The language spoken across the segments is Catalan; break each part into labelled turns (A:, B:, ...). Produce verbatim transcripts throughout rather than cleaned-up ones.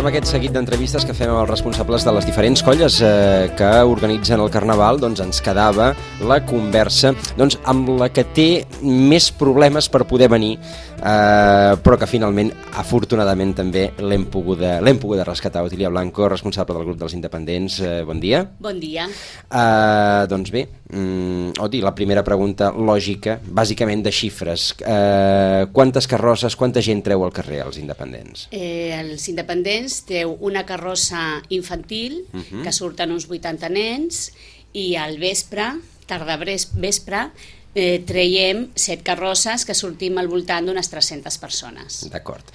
A: amb aquest seguit d'entrevistes que fem amb els responsables de les diferents colles eh, que organitzen el Carnaval, doncs ens quedava la conversa doncs, amb la que té més problemes per poder venir, eh, però que finalment, afortunadament, també l'hem poguda, l'hem poguda rescatar. Otília Blanco, responsable del grup dels independents, eh, bon dia.
B: Bon dia.
A: Eh, doncs bé, mm, Oti, la primera pregunta lògica, bàsicament de xifres. Eh, quantes carrosses, quanta gent treu al carrer als independents?
B: Eh, els independents treu una carrossa infantil, uh -huh. que surten uns vuitanta nens, i al vespre, tarda vespre, eh, traiem set carrosses que sortim al voltant d'unes tres-centes persones.
A: D'acord.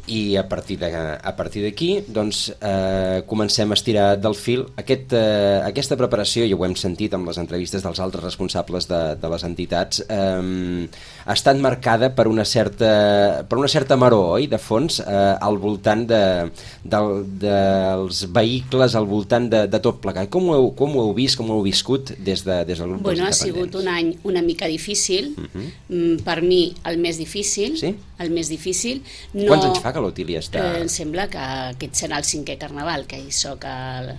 A: I a partir de, a partir d'aquí doncs, eh, comencem a estirar del fil. Aquest, eh, aquesta preparació, ja ho hem sentit amb les entrevistes dels altres responsables de, de les entitats, eh, ha estat marcada per una certa, per una certa maror, oi, de fons, eh, al voltant de, de, dels vehicles, al voltant de, de tot plegat. Com ho, heu, com ho heu vist, com ho heu viscut des, de, des del grup
B: bueno,
A: dels independents?
B: Ha sigut un any una mica difícil,
A: uh-huh.
B: per mi el més difícil,
A: sí?
B: el més difícil.
A: No, Quants anys fa que l'Otília està?
B: Eh, em sembla que aquest serà el cinquè Carnaval, que hi soc el,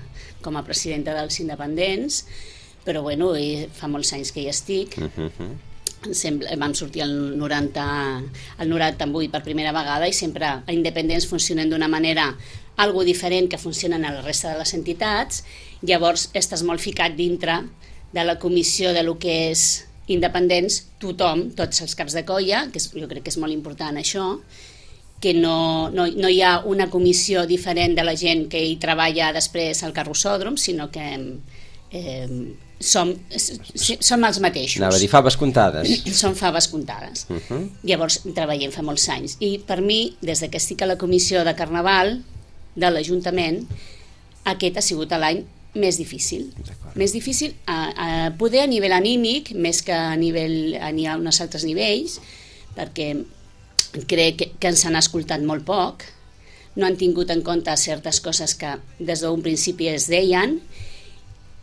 B: com a presidenta dels independents, però bueno, fa molts anys que hi estic.
A: Uh-huh.
B: Em sembla, vam sortir el noranta, el noranta-vuit per primera vegada i sempre els independents funcionen d'una manera algo diferent que funcionen a la resta de les entitats. Llavors estàs molt ficat dintre de la comissió de lo que és independents, tothom, tots els caps de colla, que és, jo crec que és molt important això, que no, no, no hi ha una comissió diferent de la gent que hi treballa després al carrossòdrom, sinó que eh, som, som els mateixos.
A: Anava a dir faves comptades.
B: Són faves comptades. Uh-huh. Llavors treballem fa molts anys. I per mi, des que estic a la comissió de Carnaval de l'Ajuntament, aquest ha sigut l'any més difícil. Més difícil a, a poder a nivell anímic, més que a nivell a, a uns altres nivells, perquè crec que, que ens han escoltat molt poc, no han tingut en compte certes coses que des d'un principi es deien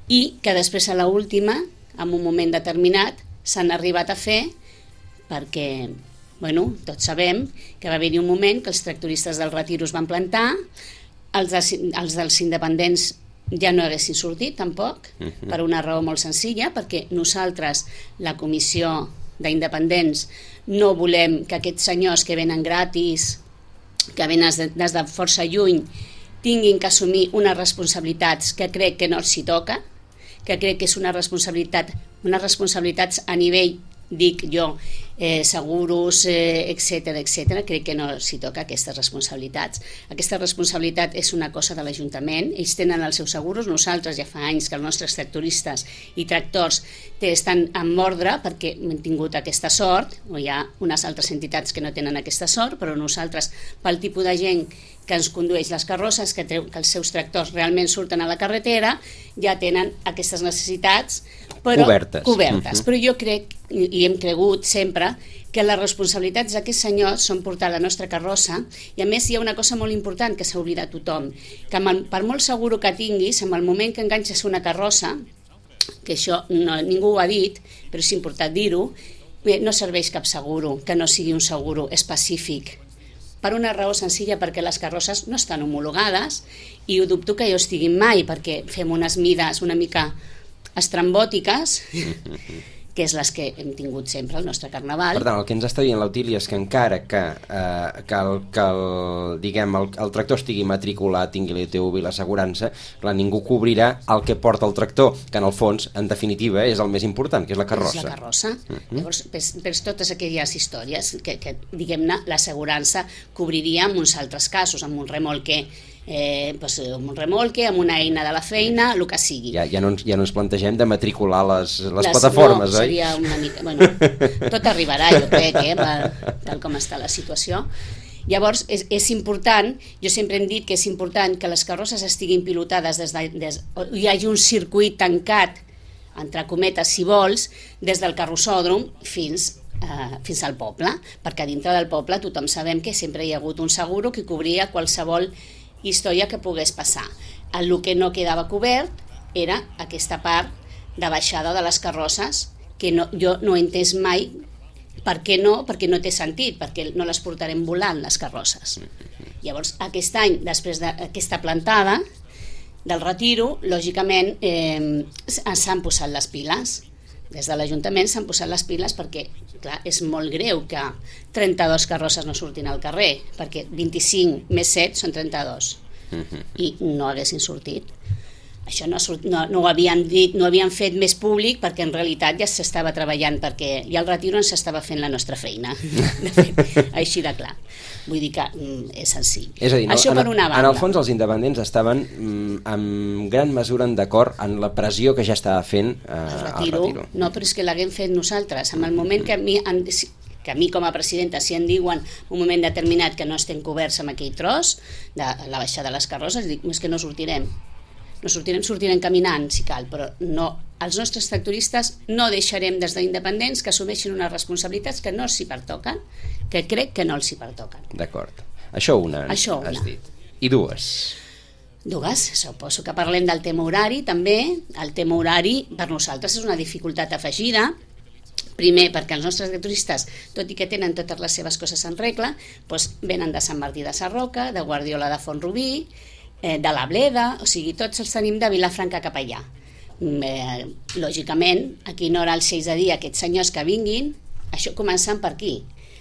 B: i que després a l'última, en un moment determinat, s'han arribat a fer perquè, bueno, tots sabem que va haver-hi un moment que els tractoristes del Retiro es van plantar, els, de, els dels independents ja no haguessin sortit tampoc, uh-huh. per una raó molt senzilla, perquè nosaltres, la comissió d'independents, no volem que aquests senyors que venen gratis, que venen des de, des de força lluny, tinguin que assumir unes responsabilitats que crec que no s'hi toca, que crec que és una responsabilitat, unes responsabilitats a nivell, dic jo, eh, seguros, eh, etcètera, etcètera, crec que no s'hi toca aquestes responsabilitats. Aquesta responsabilitat és una cosa de l'Ajuntament, ells tenen els seus seguros, nosaltres ja fa anys que els nostres tractoristes i tractors estan en ordre perquè hem tingut aquesta sort, o hi ha unes altres entitats que no tenen aquesta sort, però nosaltres, pel tipus de gent que ens condueix les carrosses, que, treu, que els seus tractors realment surten a la carretera, ja tenen aquestes necessitats però,
A: cobertes.
B: cobertes.
A: Uh-huh.
B: Però jo crec, i hem cregut sempre, que les responsabilitats d'aquests senyors són portar la nostra carrossa, i a més hi ha una cosa molt important que s'ha oblidat tothom, que el, per molt seguro que tinguis, en el moment que enganxes una carrossa, que això no, ningú ho ha dit, però és important dir-ho, no serveix cap seguro, que no sigui un seguro específic. Per una raó senzilla, perquè les carrosses no estan homologades i ho dubto que hi estiguin mai, perquè fem unes mides una mica estrambòtiques, que és les que hem tingut sempre al nostre Carnaval.
A: Per tant, el que ens està dient l'Otília és que encara que, eh, que, el, que el, diguem, el, el tractor estigui matriculat, tingui l'I T V i l'assegurança, clar, ningú cobrirà el que porta el tractor, que en el fons, en definitiva, és el més important, que és la carrossa.
B: És la carrossa. Uh-huh. Llavors, per, per totes aquelles històries que, que diguem-ne, l'assegurança cobriria en uns altres casos, amb un remolque Eh, pues, amb un remolque, amb una eina de la feina, el que sigui.
A: Ja, ja, no, ens, ja no ens plantegem de matricular les, les, les plataformes,
B: no,
A: oi?
B: Seria una mica, bueno, tot arribarà, jo crec, eh, per, tal com està la situació. Llavors, és, és important, jo sempre hem dit que és important que les carrosses estiguin pilotades des de, des, hi hagi un circuit tancat, entre cometes, si vols, des del carrossòdrom fins Uh, fins al poble, perquè dintre del poble tothom sabem que sempre hi ha hagut un seguro que cobria qualsevol història que pogués passar. El que no quedava cobert era aquesta part de baixada de les carrosses, que no, jo no he entès mai per què no, perquè no té sentit, perquè no les portarem volant les carrosses. Llavors, aquest any, després d'aquesta plantada del retiro, lògicament eh, s'han posat les piles. Des de l'Ajuntament s'han posat les piles perquè, clar, és molt greu que trenta-dues carrosses no surtin al carrer, perquè vint-i-cinc més set són trenta-dos, i no haguessin sortit. Això no, no, no, ho havien dit, no ho havien fet més públic perquè en realitat ja s'estava treballant, perquè ja el retiro ens estava fent la nostra feina, de fet, així de clar. Vull dir que mm, és senzill.
A: És a dir, no,
B: això
A: en,
B: per una banda.
A: En el fons els independents estaven mm, en gran mesura en d'acord en la pressió que ja estava fent eh,
B: el retiro.
A: el retiro.
B: No, però és que l'haguem fet nosaltres. En el moment que a mi, en, que a mi com a presidenta, si em diuen un moment determinat que no estem coberts amb aquell tros de la baixada de les carrosses, dic, és que no sortirem. No sortirem, sortirem caminant, si cal, però no, els nostres tractoristes no deixarem des d'independents que assumeixin unes responsabilitats que no s'hi pertoquen, que crec que no els hi pertoquen.
A: D'acord. Això una,
B: Això una.
A: has dit. I dues?
B: Dues, suposo que parlem del tema horari també. El tema horari per nosaltres és una dificultat afegida. Primer, perquè els nostres tractoristes, tot i que tenen totes les seves coses en regla, doncs venen de Sant Martí de Sarroca, de Guardiola de Font-rubí, de la Bleda, o sigui, tots els tenim de Vilafranca cap allà. Eh, lògicament, a quina hora els seis de dir aquests senyors que vinguin, això començant per aquí,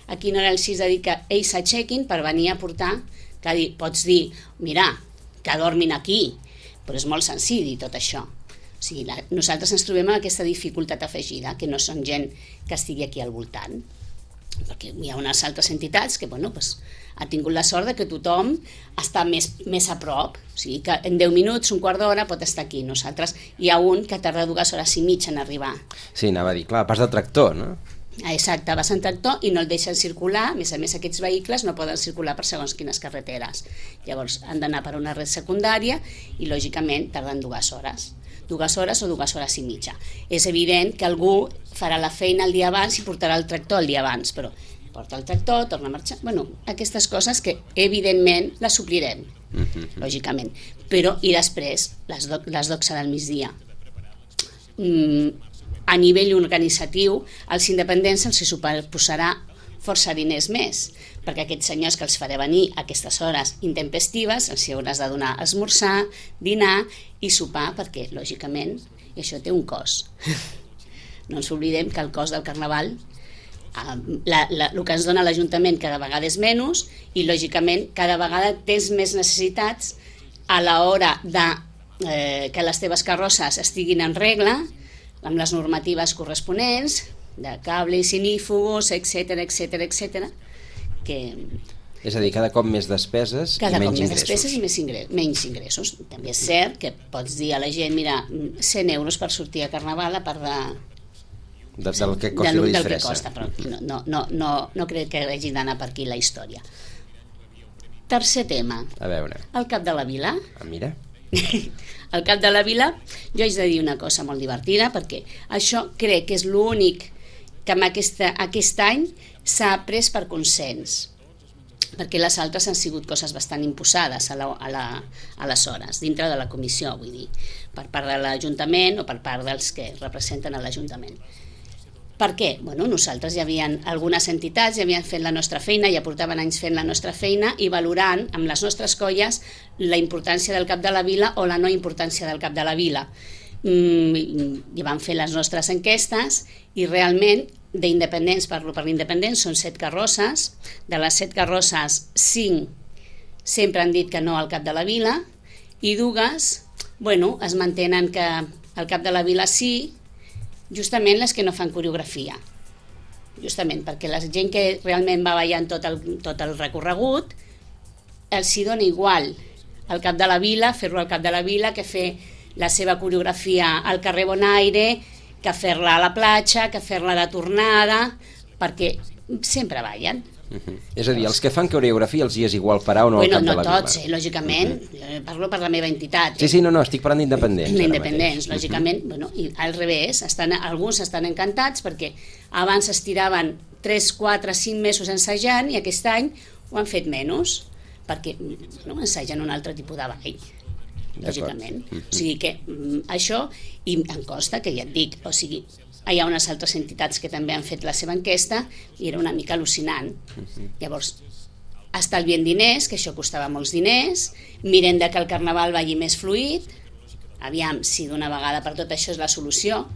B: a quina hora els sis de dir que ells s'aixequin per venir a portar, que dir, pots dir, mira, que dormin aquí, però és molt senzill dir tot això. O sigui, la, nosaltres ens trobem amb aquesta dificultat afegida, que no són gent que estigui aquí al voltant, perquè hi ha unes altres entitats que, bueno, pues, ha tingut la sort de que tothom està més, més a prop, o sigui que en deu minuts, un quart d'hora pot estar aquí. Nosaltres hi ha un que tarda dues hores i mitja en arribar.
A: Sí, anava a dir, clar, pas de tractor, no?
B: Exacte, vas en tractor i no el deixen circular, a més a més aquests vehicles no poden circular per segons quines carreteres. Llavors han d'anar per una red secundària i lògicament tarden dues hores. dues hores o dues hores i mitja. És evident que algú farà la feina el dia abans i portarà el tractor el dia abans, però porta el tractor, torna a marxar... Bueno, aquestes coses que evidentment les suplirem, mm-hmm. lògicament. Però, i després, les, do, les doxa del migdia. Mm, a nivell organitzatiu, als independents els suposarà força diners més, perquè aquests senyors que els faré venir a aquestes hores intempestives els hi hauràs de donar esmorzar, dinar i sopar, perquè, lògicament, això té un cost. No ens oblidem que el cost del carnaval, la, la, el que ens dona l'Ajuntament cada vegada és menys i, lògicament, cada vegada tens més necessitats a l'hora de eh, que les teves carrosses estiguin en regla, amb les normatives corresponents, de cables, inífugos, etcètera, etcètera, etcètera, que...
A: És a dir, cada cop més despeses
B: cada
A: i menys
B: cop més
A: ingressos.
B: despeses i més ingressos, menys ingressos. També és cert que pots dir a la gent, mira, cent euros per sortir a Carnaval a part de...
A: De, del que costi
B: del,
A: la
B: del que
A: disfressa.
B: costa, però no, no, no, no, no crec que hagi d'anar per aquí la història. Tercer tema.
A: A veure.
B: El Cap de la Vila.
A: Ah, mira.
B: El Cap de la Vila, jo haig de dir una cosa molt divertida, perquè això crec que és l'únic que amb aquesta, aquest any s'ha pres per consens, perquè les altres han sigut coses bastant imposades a, la, a, la, a les hores, dintre de la comissió, vull dir, per part de l'Ajuntament o per part dels que representen a l'Ajuntament. Per què? Bueno, nosaltres ja havien, algunes entitats ja havien fet la nostra feina, ja portaven anys fent la nostra feina i valorant amb les nostres colles la importància del Cap de la Vila o la no importància del Cap de la Vila. Mm, i van fer les nostres enquestes i realment d'independents, parlo per l'independents, són set carrosses, de les set carrosses, cinc sempre han dit que no al Cap de la Vila i dues, bueno, es mantenen que al Cap de la Vila sí, justament les que no fan coreografia, justament perquè la gent que realment va ballant tot el, tot el recorregut els hi dona igual al Cap de la Vila, fer-lo al Cap de la Vila, que fer la seva coreografia al carrer Bonaire, que fer-la a la platja, que fer-la de tornada, perquè sempre ballen.
A: Uh-huh. És a dir, els que fan coreografia els hi és igual parar o no
B: bueno,
A: al Cap
B: no
A: de la Vila.
B: No tots, eh, lògicament, uh-huh. Parlo per la meva entitat.
A: Sí, sí, no, no, estic parlant d'independents.
B: Independents, lògicament, uh-huh. Bueno, i al revés, estan, alguns estan encantats perquè abans es tiraven tres, quatre, cinc mesos ensajant i aquest any ho han fet menys, perquè no, ensagen un altre tipus de ball, lògicament. Uh-huh. O sigui que mm, això, i em consta que ja et dic, o sigui, hi ha unes altres entitats que també han fet la seva enquesta i era una mica al·lucinant. Uh-huh. Llavors, estalviem diners, que això costava molts diners, mirem de que el carnaval vagi més fluid, aviam si d'una vegada per tot això és la solució,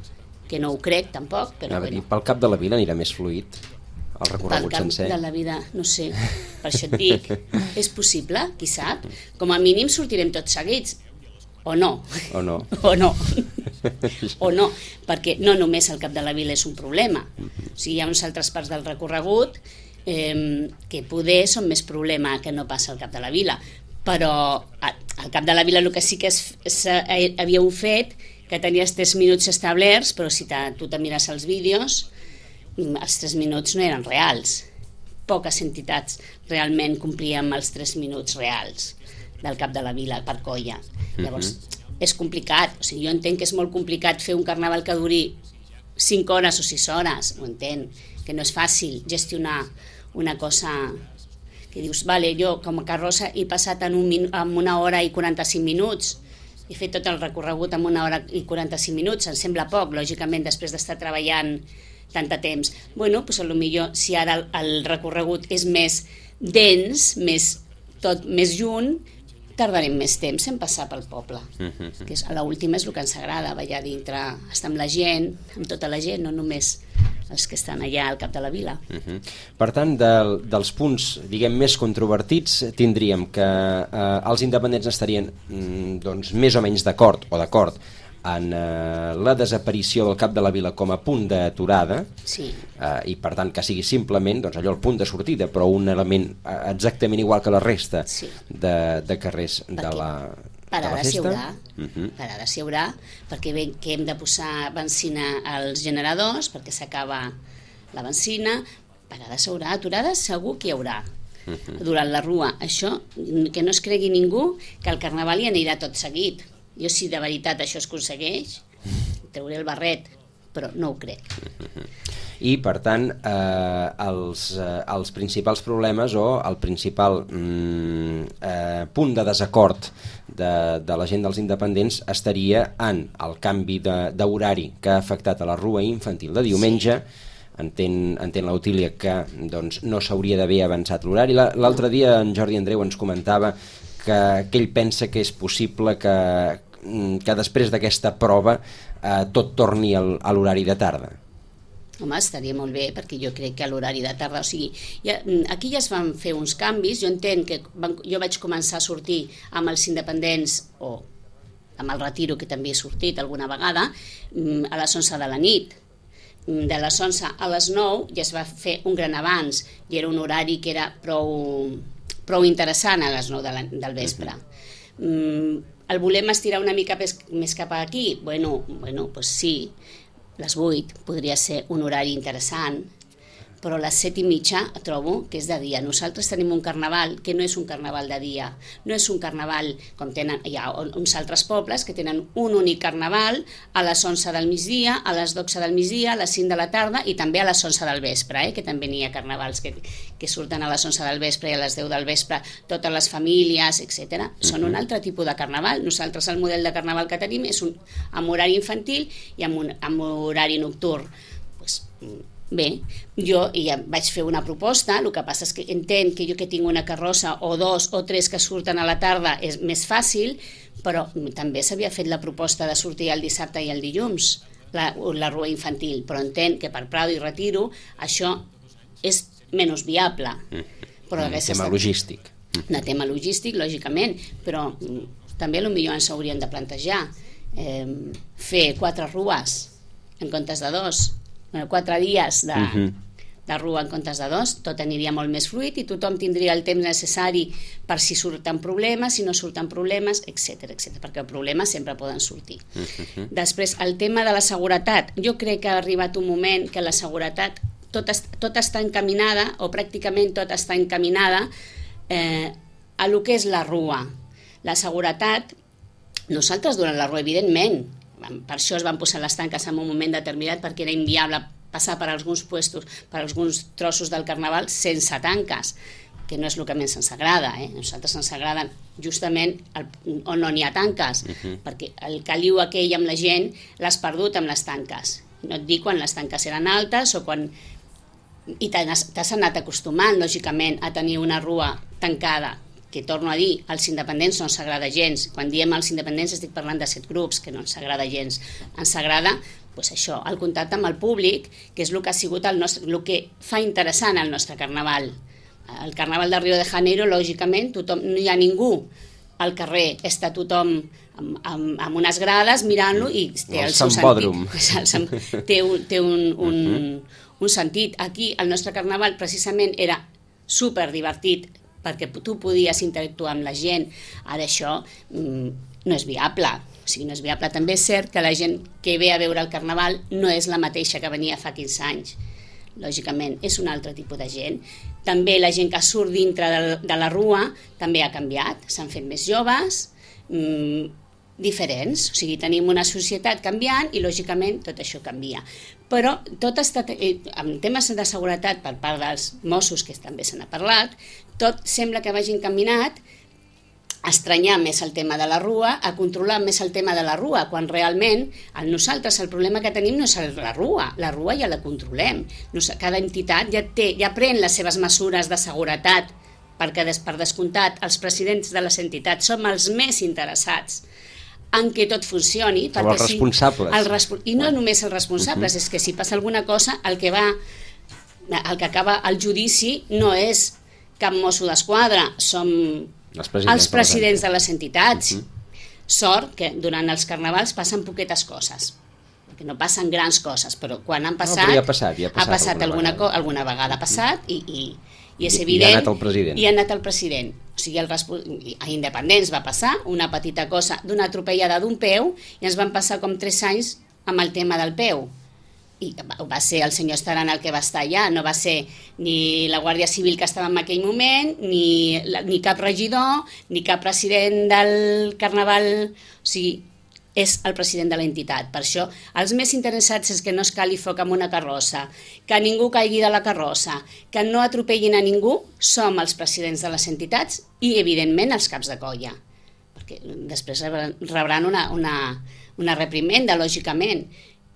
B: que no ho crec tampoc, però
A: bueno.
B: Dir,
A: pel Cap de la Vila anirà més fluid el recorregut
B: pel
A: sencer?
B: Cap de la Vida, no sé, per això et dic, és possible, qui sap? Com a mínim sortirem tots seguits, o no,
A: o no,
B: o no, o no, perquè no només el Cap de la Vila és un problema, o sigui, hi ha uns altres parts del recorregut eh, que poder són més problema que no passa al Cap de la Vila, però al Cap de la Vila el que sí que es, es, havíeu fet, que tenies tres minuts establerts, però si tu te mires els vídeos, els tres minuts no eren reals. Poques entitats realment complien amb els tres minuts reals del Cap de la Vila per colla. Llavors, uh-huh. és complicat. O sigui, jo entenc que és molt complicat fer un carnaval que duri cinc hores o sis hores, ho entenc, que no és fàcil gestionar una cosa que dius, vale, jo com a carrossa he passat en, un min- en una hora i quaranta-cinc minuts, he fet tot el recorregut en una hora i quaranta-cinc minuts, em sembla poc, lògicament, després d'estar treballant tant de temps. Bueno, doncs potser si ara el, el recorregut és més dens, més, tot més junt, tardarem més temps en passar pel poble. Uh-huh. Que és, a l'última és el que ens agrada, ballar dintre, estar amb la gent, amb tota la gent, no només els que estan allà al Cap de la Vila.
A: Uh-huh. Per tant, del, dels punts, diguem, més controvertits, tindríem que eh, els independents estarien mm, doncs, més o menys d'acord, o d'acord, en eh, la desaparició del Cap de la Vila com a punt d'aturada,
B: sí.
A: eh, i per tant que sigui simplement doncs, allò el punt de sortida, però un element exactament igual que la resta sí. de, de carrers perquè de la, de la festa.
B: Haurà, uh-huh. Parades hi haurà, perquè bé que hem de posar benzina als generadors, perquè s'acaba la benzina, parades haurà, aturades segur que hi haurà. Uh-huh. Durant la rua, això, que no es cregui ningú que el carnaval hi anirà tot seguit. Jo, si de veritat això es aconsegueix, treuré el barret, però no ho crec.
A: I, per tant, eh, els, eh, els principals problemes o el principal mm, eh, punt de desacord de, de la gent dels independents estaria en el canvi d'horari que ha afectat a la rua infantil de diumenge. Sí. Entén, entén l'Otília que doncs, no s'hauria d'haver avançat l'horari. L'altre dia en Jordi Andreu ens comentava que, que ell pensa que és possible que, que després d'aquesta prova eh, tot torni al, a l'horari de tarda.
B: Home, estaria molt bé, perquè jo crec que a l'horari de tarda, o sigui, ja, aquí ja es van fer uns canvis, jo entenc que van, jo vaig començar a sortir amb els independents, o amb el retiro, que també he sortit alguna vegada, a les onze de la nit. De les onze a les nou ja es va fer un gran avanç, i era un horari que era prou... prou interessant a les nou de la, del vespre. Mm, el volem estirar una mica més, més cap aquí? Bueno, bueno, pues sí, les vuit podria ser un horari interessant, però a les set i mitja trobo que és de dia. Nosaltres tenim un carnaval que no és un carnaval de dia, no és un carnaval com tenen, hi ha uns altres pobles que tenen un únic carnaval a les onze del migdia, a les dotze del migdia, a les cinc de la tarda i també a les onze del vespre, eh? Que també n'hi ha carnavals que, que surten a les onze del vespre i a les deu del vespre, totes les famílies, etcètera. Són un altre tipus de carnaval. Nosaltres el model de carnaval que tenim és un, amb horari infantil i amb, un, amb horari nocturn. Pues, bé, jo ja vaig fer una proposta, el que passa és que entenc que jo que tinc una carrossa o dos o tres que surten a la tarda és més fàcil, però també s'havia fet la proposta de sortir el dissabte i el dilluns, la, la rua infantil, però entenc que per Prado i Retiro això és menys viable. Però
A: un tema logístic.
B: Un tema logístic, lògicament, però també potser ens hauríem de plantejar eh, fer quatre rues en comptes de dos, quatre dies de, uh-huh. de rua en comptes de dos, tot aniria molt més fluid i tothom tindria el temps necessari per si surten problemes, si no surten problemes, etcètera, etcètera, perquè els problemes sempre poden sortir. Uh-huh. Després, el tema de la seguretat. Jo crec que ha arribat un moment que la seguretat tot, est, tot està encaminada, o pràcticament tot està encaminada eh, a lo que és la rua. La seguretat, nosaltres durant la rua, evidentment, per això es van posar les tanques en un moment determinat, perquè era inviable passar per alguns puestos, per alguns trossos del carnaval sense tanques, que no és el que més ens agrada, eh? A nosaltres ens agraden justament el, on no n'hi ha tanques, uh-huh. perquè el caliu aquell amb la gent l'has perdut amb les tanques. No et dic quan les tanques eren altes o quan i t'has anat acostumant, lògicament, a tenir una rua tancada, que torno a dir, als independents no ens agrada gens. Quan diem als independents estic parlant de set grups, que no ens agrada gens. Ens agrada, doncs això, el contacte amb el públic, que és el que ha sigut el nostre, el que fa interessant el nostre carnaval. El carnaval de Rio de Janeiro, lògicament, tothom, no hi ha ningú al carrer, està tothom amb, amb, amb unes grades mirant-lo i té el, el seu sentit. Té, un, té un, un, un sentit. Aquí el nostre carnaval precisament era super divertit perquè tu podies interactuar amb la gent. Ara això mm, no és viable. O sigui, no és viable. També és cert que la gent que ve a veure el carnaval no és la mateixa que venia fa quinze anys. Lògicament, és un altre tipus de gent. També la gent que surt dintre de, de la rua també ha canviat, s'han fet més joves, mmm, diferents, o sigui, tenim una societat canviant i lògicament tot això canvia. Però tot està, en temes de seguretat per part dels Mossos, que també se n'ha parlat, tot sembla que vagi encaminat a estranyar més el tema de la rua, a controlar més el tema de la rua, quan realment el nosaltres el problema que tenim no és la rua, la rua ja la controlem. Cada entitat ja, té, ja pren les seves mesures de seguretat, perquè per descomptat els presidents de les entitats som els més interessats en què tot funcioni.
A: Som els responsables.
B: Si el respo I no només els responsables, uh -huh. és que si passa alguna cosa, el que va, el que acaba el judici no és cap mosso d'esquadra, som els presidents, els presidents de les entitats. Uh -huh. Sort que durant els carnavals passen poquetes coses, perquè no passen grans coses, però quan han passat,
A: no, ja ha passat, ja ha passat,
B: ha passat alguna, alguna, alguna vegada ha passat i, i, i és evident.
A: I ha anat el president.
B: I ha anat el president. O sigui, el, a Independents va passar una petita cosa d'una atropellada d'un peu i ens van passar com tres anys amb el tema del peu. I va ser el senyor Estaran el que va estar allà, no va ser ni la Guàrdia Civil que estava en aquell moment, ni, ni cap regidor, ni cap president del carnaval, o sigui, és el president de l'entitat. Per això, els més interessats és que no es cali foc amb una carrossa, que ningú caigui de la carrossa, que no atropellin a ningú, som els presidents de les entitats i, evidentment, els caps de colla, perquè després rebran una, una, una reprimenda, lògicament.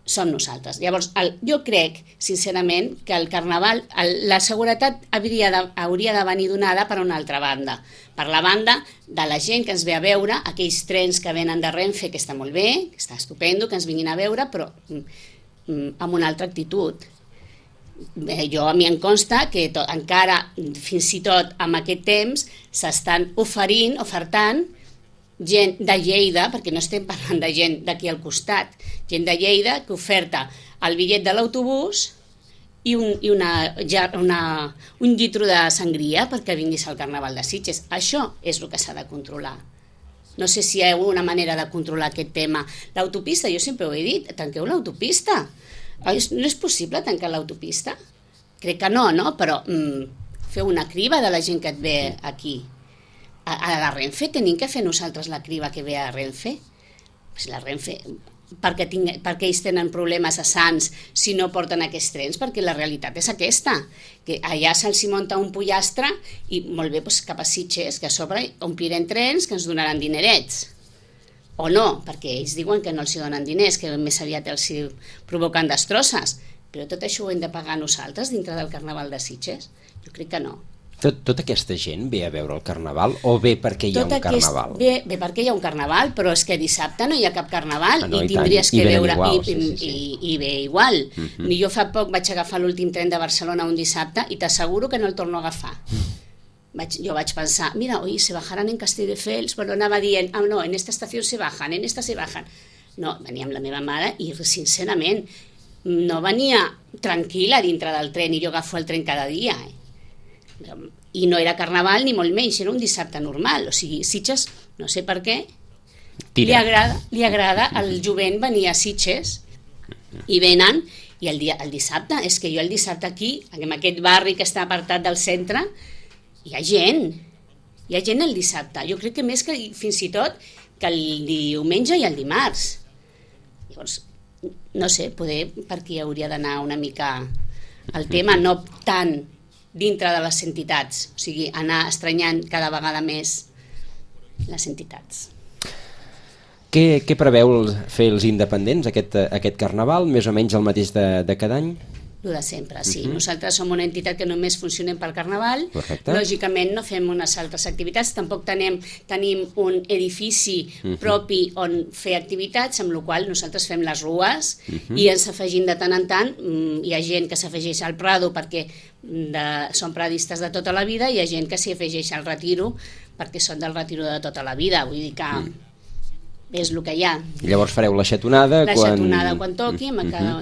B: Som nosaltres. Llavors, el, jo crec, sincerament, que el carnaval, el, la seguretat hauria de, hauria de venir donada per una altra banda. Per la banda de la gent que ens ve a veure, aquells trens que venen de Renfe, que està molt bé, que està estupendo, que ens vinguin a veure, però mm, amb una altra actitud. Bé, jo a mi em consta que to, encara, fins i tot amb aquest temps, s'estan oferint, ofertant, gent de Lleida, perquè no estem parlant de gent d'aquí al costat, gent de Lleida que oferta el bitllet de l'autobús i, un, i una, ja, una, un litro de sangria perquè vinguis al Carnaval de Sitges. Això és el que s'ha de controlar. No sé si hi ha una manera de controlar aquest tema. L'autopista, jo sempre ho he dit, tanqueu l'autopista. No és possible tancar l'autopista? Crec que no, no? Però mm, feu una criba de la gent que et ve aquí. A la Renfe tenim que fer nosaltres la criba que ve a Renfe? Pues la Renfe, perquè, tinc, perquè ells tenen problemes a Sants si no porten aquests trens, perquè la realitat és aquesta, que allà se'ls munta un pollastre i molt bé, doncs cap a Sitges, que a sobre omplirem trens que ens donaran dinerets. O no, perquè ells diuen que no els donen diners, que més aviat els provoquen destrosses, però tot això ho hem de pagar nosaltres dintre del Carnaval de Sitges? Jo crec que no.
A: Tot, tota aquesta gent ve a veure el carnaval o ve perquè hi ha
B: tot
A: un carnaval?
B: Ve, ve perquè hi ha un carnaval, però és que dissabte no hi ha cap carnaval, ah, no, i, i tindries tant. que I veure igual, i, sí, sí, sí. I, i ve igual. Uh -huh. Jo fa poc vaig agafar l'últim tren de Barcelona un dissabte i t'asseguro que no el torno a agafar. Mm. Vaig, jo vaig pensar, mira, oi, se bajaran en Castelldefels, però anava dient, ah, no, en esta estació se bajan, en esta se bajan. No, venia amb la meva mare i, sincerament, no venia tranquil·la dintre del tren i jo agafo el tren cada dia, eh? I no era carnaval ni molt menys, era un dissabte normal. O sigui, Sitges, no sé per què, li agrada, li agrada al jovent venir a Sitges i venen, i el, dia, el dissabte, és que jo el dissabte aquí, en aquest barri que està apartat del centre, hi ha gent, hi ha gent el dissabte. Jo crec que més que fins i tot que el diumenge i el dimarts. Llavors, no sé, poder per aquí hauria d'anar una mica el tema, no tant dintre de les entitats, o sigui, anar estranyant cada vegada més les entitats.
A: Què, què preveu fer els independents aquest, aquest carnaval? Més o menys el mateix de, de cada any?
B: El de sempre, sí.
A: Uh-huh.
B: Nosaltres som una entitat que només funcionem pel Carnaval.
A: Correcte.
B: Lògicament no fem unes altres activitats, tampoc tenim, tenim un edifici uh-huh. propi on fer activitats, amb la qual nosaltres fem les rues uh-huh. i ens afegim de tant en tant. Hi ha gent que s'afegeix al Prado perquè de, són pradistes de tota la vida, i hi ha gent que s'hi afegeix al Retiro perquè són del Retiro de tota la vida, vull dir que uh-huh. és el que hi ha.
A: I llavors fareu la xatonada
B: la
A: quan...
B: La xatonada quan toqui, uh-huh. cada...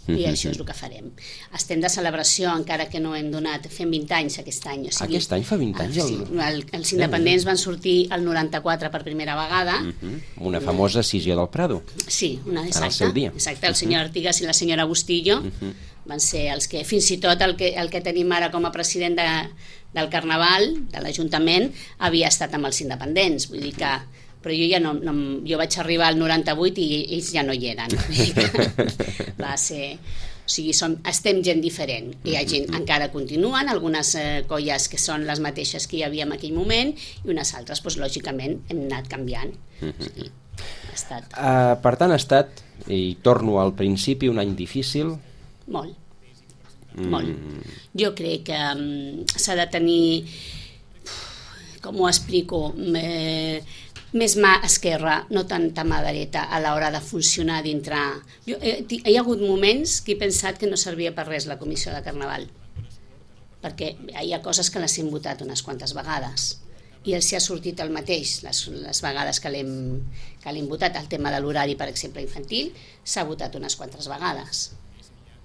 B: i
A: uh-huh.
B: això és el que farem. Estem de celebració, encara que no hem donat, fem vint anys aquest any. O sigui,
A: aquest any fa vint anys?
B: El, sí, el, els independents van sortir el noranta-quatre per primera vegada.
A: Uh-huh. Una famosa escissió del Prado.
B: Sí, una, exacte.
A: En el seu dia.
B: Exacte, el senyor Artigas i la senyora Bustillo uh-huh. van ser els que, fins i tot el que, el que tenim ara com a president de, del Carnaval, de l'Ajuntament, havia estat amb els independents, vull dir que però jo ja no, no, jo vaig arribar al noranta-vuit i ells ja no hi eren. Va ser... O sigui, som, estem gent diferent. Hi ha gent, encara continuen, algunes eh, colles que són les mateixes que hi havia en aquell moment, i unes altres, doncs, lògicament, hem anat canviant. O sigui, ha estat...
A: Uh, per tant, ha estat, i torno al principi, un any difícil?
B: Molt. Mm. Molt. Jo crec que um, s'ha de tenir... Com ho explico? Eh, més mà esquerra, no tanta mà dreta a l'hora de funcionar dintre. Jo, eh, hi ha hagut moments que he pensat que no servia per res la comissió de Carnaval, perquè hi ha coses que les hem votat unes quantes vegades i els hi ha sortit el mateix les, les vegades que l'hem que l'hem votat. El tema de l'horari, per exemple, infantil, s'ha votat unes quantes vegades.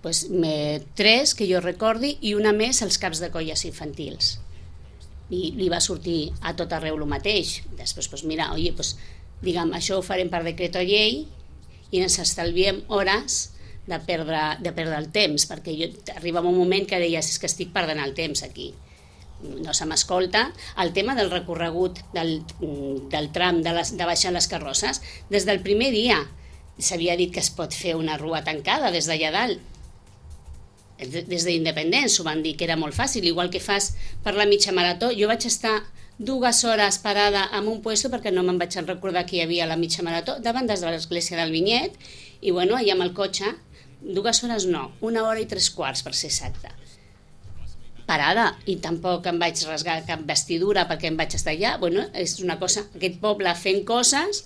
B: Pues, me, tres que jo recordi, i una més als caps de colles infantils. I li va sortir a tot arreu el mateix. Després, doncs mira, oi, doncs, diguem, això ho farem per decret o llei i ens estalviem hores de perdre, de perdre el temps, perquè jo, arribava un moment que deies, és que estic perdent el temps aquí, no se m'escolta. El tema del recorregut del, del tram de, les, de baixar les carrosses, des del primer dia s'havia dit que es pot fer una rua tancada des d'allà dalt. Des d'Independents ho van dir que era molt fàcil, igual que fas per la mitja marató. Jo vaig estar dues hores parada en un puesto perquè no me'n vaig recordar que hi havia la mitja marató, davant de l'església del Vinyet, i bueno, allà amb el cotxe, dues hores no, una hora i tres quarts per ser exacte. Parada, i tampoc em vaig rasgar cap vestidura perquè em vaig estar allà. Bueno, és una cosa, aquest poble fent coses,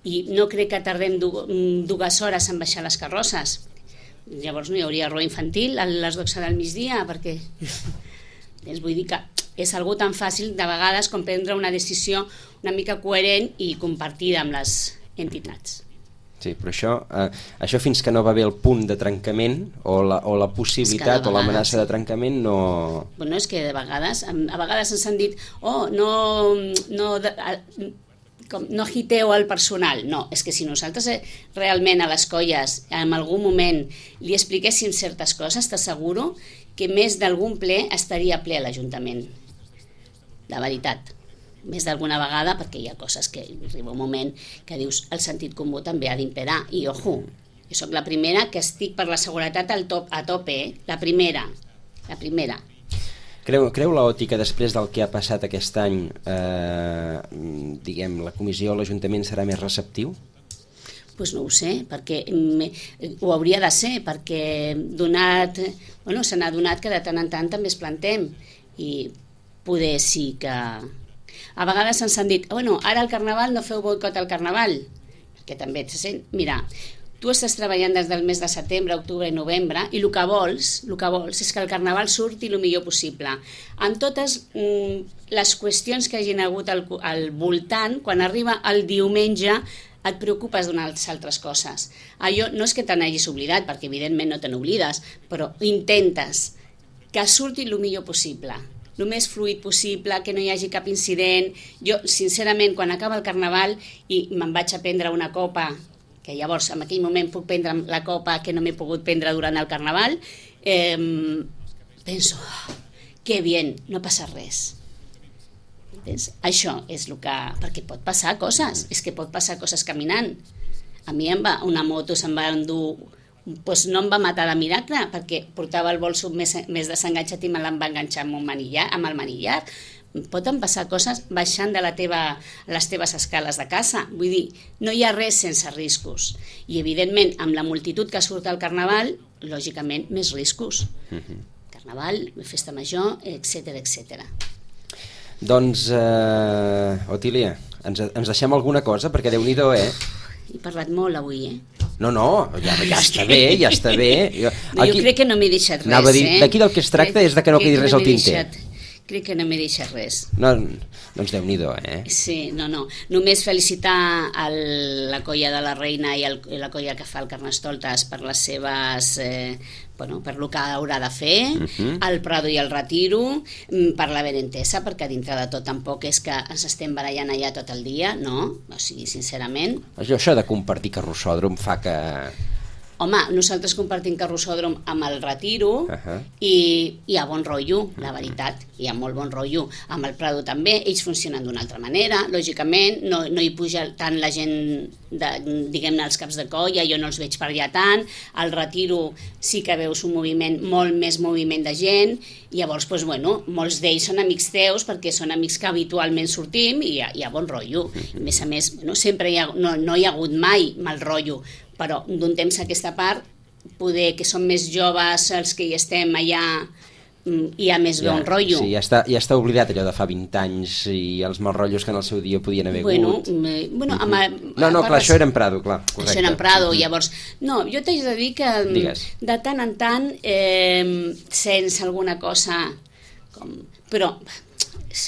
B: i no crec que tardem dues hores en baixar les carrosses. Llavors no hi hauria rua infantil a les dotze del migdia, perquè és, vull dir que és algo tan fàcil de vegades com prendre una decisió una mica coherent i compartida amb les entitats.
A: Sí, però això, eh, això fins que no va haver el punt de trencament o la, o la possibilitat o l'amenaça de trencament no...
B: Bueno, és que de vegades, a vegades ens han dit oh, no... no de, a, com, no agiteu el personal. No, és que si nosaltres realment a les colles en algun moment li expliquéssim certes coses, t'asseguro que més d'algun ple estaria ple a l'Ajuntament. De veritat. Més d'alguna vegada, perquè hi ha coses que arriba un moment que dius el sentit comú també ha d'imperar. I ojo, jo soc la primera que estic per la seguretat al top, a tope, eh? La primera, la primera.
A: Creu, creu l'Oti que després del que ha passat aquest any, eh, diguem, la comissió o l'Ajuntament serà més receptiu?
B: Pues no ho sé, perquè ho hauria de ser, perquè donat, bueno, se n'ha donat que de tant en tant també es plantem, i poder sí que... A vegades ens han dit, bueno, ara al Carnaval no feu boicot al Carnaval, perquè també se sent, mira, tu estàs treballant des del mes de setembre, octubre i novembre, i el que vols, el que vols és que el Carnaval surti el millor possible. En totes mm, les qüestions que hagin hagut al, al voltant, quan arriba el diumenge, et preocupes d'unes altres coses. Allò no és que te n'hagis oblidat, perquè evidentment no te n'oblides, però intentes que surti el millor possible, el més fluid possible, que no hi hagi cap incident. Jo, sincerament, quan acaba el Carnaval i me'n vaig a prendre una copa, que llavors en aquell moment puc prendre la copa que no m'he pogut prendre durant el Carnaval, eh, penso, oh, que bien, no passa res. Entens? Això és el que... Perquè pot passar coses, és que pot passar coses caminant. A mi em va, una moto se'n va endur... Pues no em va matar de miracle, perquè portava el bolso més, més desenganxat i me l'em va enganxar amb, un manillar, amb el manillar. poden passar coses baixant de la teva, les teves escales de casa. Vull dir, no hi ha res sense riscos. I, evidentment, amb la multitud que surt al Carnaval, lògicament, més riscos. Uh-huh. Carnaval, festa major, etcètera, etcètera.
A: Doncs, uh, Otília, ens, ens deixem alguna cosa? Perquè Déu-n'hi-do, eh?
B: He parlat molt avui, eh?
A: No, no, ja, ja està bé, ja està bé. Jo,
B: no, aquí, jo crec que no m'he deixat res,
A: anava a dir,
B: eh?
A: D'aquí del que es tracta crec, és de que no quedi res no al tinter.
B: Deixat, crec que no m'he deixat res.
A: No, doncs Déu-n'hi-do, eh?
B: Sí, no, no. Només felicitar el, la colla de la Reina i, el, i la colla que fa el Carnestoltes per les seves... Eh, bueno, per lo que haurà de fer, uh-huh. el Prado i el Retiro, per la benentesa, perquè dintre de tot tampoc és que ens estem barallant allà tot el dia, no? O sigui, sincerament...
A: Això, això de compartir carrossòdrom fa que...
B: Home, nosaltres compartim carrossòdrom amb el Retiro uh-huh. i hi ha bon rotllo, la veritat, hi ha molt bon rotllo. Amb el Prado també, ells funcionen d'una altra manera, lògicament, no, no hi puja tant la gent, de, diguem-ne, els caps de colla, jo no els veig per allà tant, al Retiro sí que veus un moviment, molt més moviment de gent, i llavors, doncs, bueno, molts d'ells són amics teus perquè són amics que habitualment sortim i hi ha, hi ha bon rotllo. A més a més, bueno, sempre hi ha, no, no hi ha hagut mai mal rotllo, però d'un temps a aquesta part, poder que som més joves els que hi estem allà, hi ha més
A: ja,
B: bon rotllo.
A: Sí, ja està, ja està oblidat allò de fa vint anys i els mal rotllos que en el seu dia podien haver
B: bueno,
A: hagut.
B: Eh, bueno, amb,
A: uh-huh. No, no, clar, això era en Prado, clar, correcte.
B: Això era en Prado, uh-huh. Llavors... No, jo t'haig de dir que
A: Digues.
B: De tant en tant eh, sents alguna cosa com... Però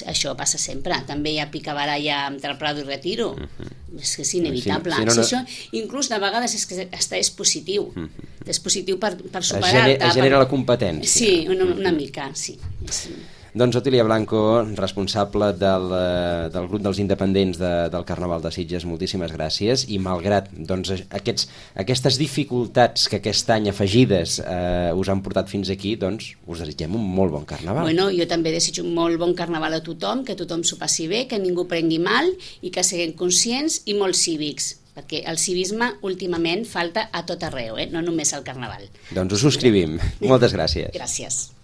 B: això passa sempre, també hi ha picabaralla entre Prado i Retiro, uh-huh. És que és inevitable. Sí, sí, no, no. Si això, inclús de vegades és que està és positiu, uh-huh. És positiu per, per superar-te.
A: Es genera per... la competència.
B: Sí, una, una mica, sí. És...
A: Doncs Otília Blanco, responsable del, del grup dels independents de, del Carnaval de Sitges, moltíssimes gràcies, i malgrat doncs, aquests, aquestes dificultats que aquest any afegides eh, us han portat fins aquí, doncs us desitgem un molt bon Carnaval.
B: Bueno, jo també desitjo un molt bon Carnaval a tothom, que tothom s'ho passi bé, que ningú prengui mal i que siguem conscients i molt cívics, perquè el civisme últimament falta a tot arreu, eh? No només al Carnaval.
A: Doncs ho subscrivim. Moltes gràcies.
B: Gràcies.